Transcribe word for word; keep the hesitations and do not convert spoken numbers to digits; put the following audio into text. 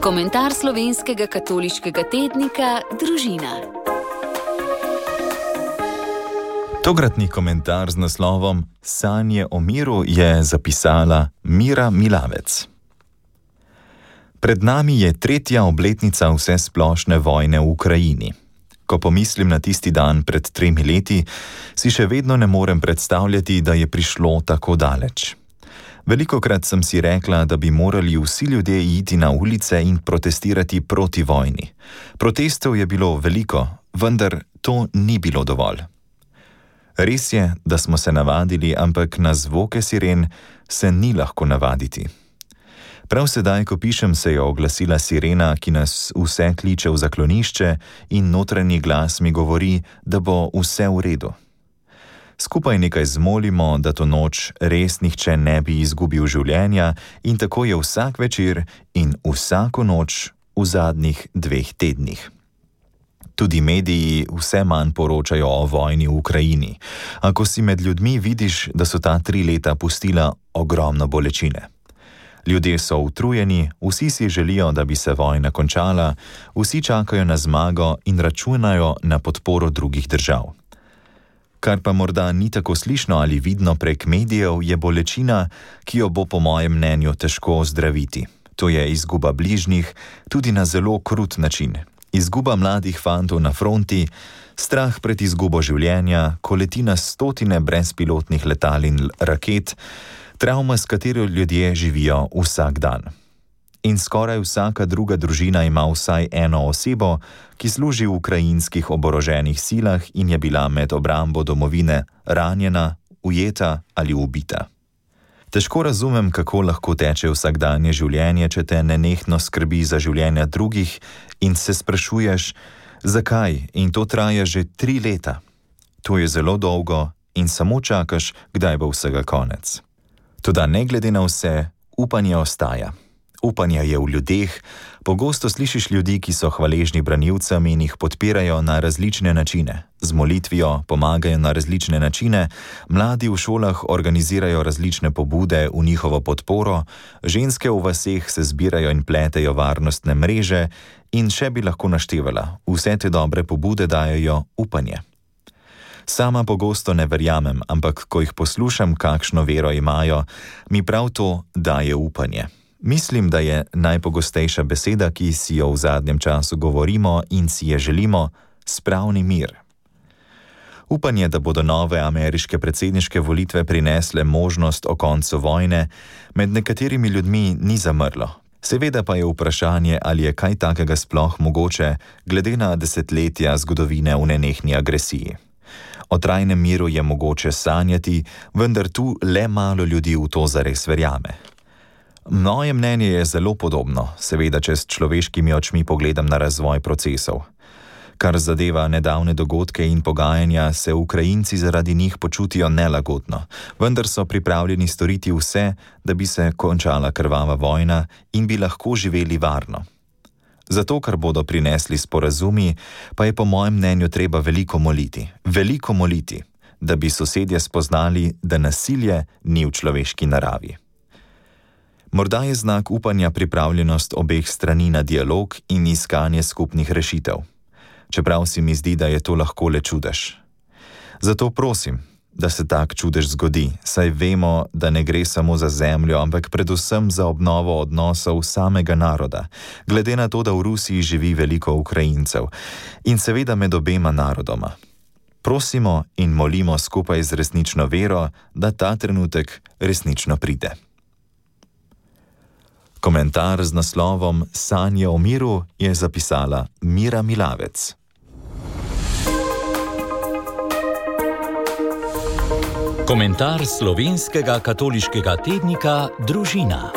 Komentar slovenskega katoliškega tednika Družina. Tokratni komentar z naslovom Sanje o miru je zapisala Mira Milavec. Pred nami je tretja obletnica vsesplošne vojne v Ukrajini. Ko pomislim na tisti dan pred tremi leti, si še vedno ne morem predstavljati, da je prišlo tako daleč. Velikokrat sem si rekla, da bi morali vsi ljudje iti na ulice in protestirati proti vojni. Protestov je bilo veliko, vendar to ni bilo dovolj. Res je, da smo se navadili, ampak na zvoke siren se ni lahko navaditi. Prav sedaj, ko pišem, se je oglasila sirena, ki nas vse kliče v zaklonišče in notranji glas mi govori, da bo vse v redu. Skupaj nekaj zmolimo, da to noč res nihče ne bi izgubil življenja in tako je vsak večer in vsako noč v zadnjih dveh tednih. Tudi mediji vse manj poročajo o vojni v Ukrajini, a ko si med ljudmi vidiš, da so ta tri leta pustila ogromno bolečine. Ljudje so utrujeni, vsi si želijo, da bi se vojna končala, vsi čakajo na zmago in računajo na podporo drugih držav. Kar pa morda ni tako slišno ali vidno prek medijev, je bolečina, ki jo bo po mojem mnenju težko ozdraviti. To je izguba bližnjih, tudi na zelo krut način. Izguba mladih fantov na fronti, strah pred izgubo življenja, ko leti na stotine brezpilotnih letal in raket, travma, s katero ljudje živijo vsak dan. In skoraj vsaka druga družina ima vsaj eno osebo, ki služi v ukrajinskih oboroženih silah in je bila med obrambo domovine ranjena, ujeta ali ubita. Težko razumem, kako lahko teče vsakdanje življenje, če te nenehno skrbi za življenja drugih in se sprašuješ, zakaj, in to traja že tri leta. To je zelo dolgo in samo čakaš, kdaj bo vsega konec. Toda ne glede na vse, upanje ostaja. Upanje je v ljudeh, pogosto slišiš ljudi, ki so hvaležni branilcem in jih podpirajo na različne načine. Z molitvijo pomagajo na različne načine, mladi v šolah organizirajo različne pobude v njihovo podporo, ženske v vaseh se zbirajo in pletejo varnostne mreže in še bi lahko naštevala. Vse te dobre pobude dajejo upanje. Sama pogosto ne verjamem, ampak ko jih poslušam, kakšno vero imajo, mi prav to daje upanje. Mislim, da je najpogostejša beseda, ki si jo v zadnjem času govorimo in si je želimo, spravni mir. Upanje, da bodo nove ameriške predsedniške volitve prinesle možnost o koncu vojne, med nekaterimi ljudmi ni zamrlo. Seveda pa je vprašanje, ali je kaj takega sploh mogoče, glede na desetletja zgodovine v nenehni agresiji. O trajnem miru je mogoče sanjati, vendar tu le malo ljudi v to zares verjame. Moje mnenje je zelo podobno, seveda če s človeškimi očmi pogledam na razvoj procesov. Kar zadeva nedavne dogodke in pogajanja, se Ukrajinci zaradi njih počutijo nelagodno, vendar so pripravljeni storiti vse, da bi se končala krvava vojna in bi lahko živeli varno. Zato, kar bodo prinesli sporazumi, pa je po mojem mnenju treba veliko moliti, veliko moliti, da bi sosedje spoznali, da nasilje ni v človeški naravi. Morda je znak upanja pripravljenost obeh strani na dialog in iskanje skupnih rešitev. Čeprav si mi zdi, da je to lahko le čudež. Zato prosim, da se tak čudež zgodi, saj vemo, da ne gre samo za zemljo, ampak predvsem za obnovo odnosov samega naroda, glede na to, da v Rusiji živi veliko Ukrajincev in seveda med obema narodoma. Prosimo in molimo skupaj z resnično vero, da ta trenutek resnično pride. Komentar z naslovom Sanje o miru je zapisala Mira Milavec. Komentar slovenskega katoliškega tednika Družina.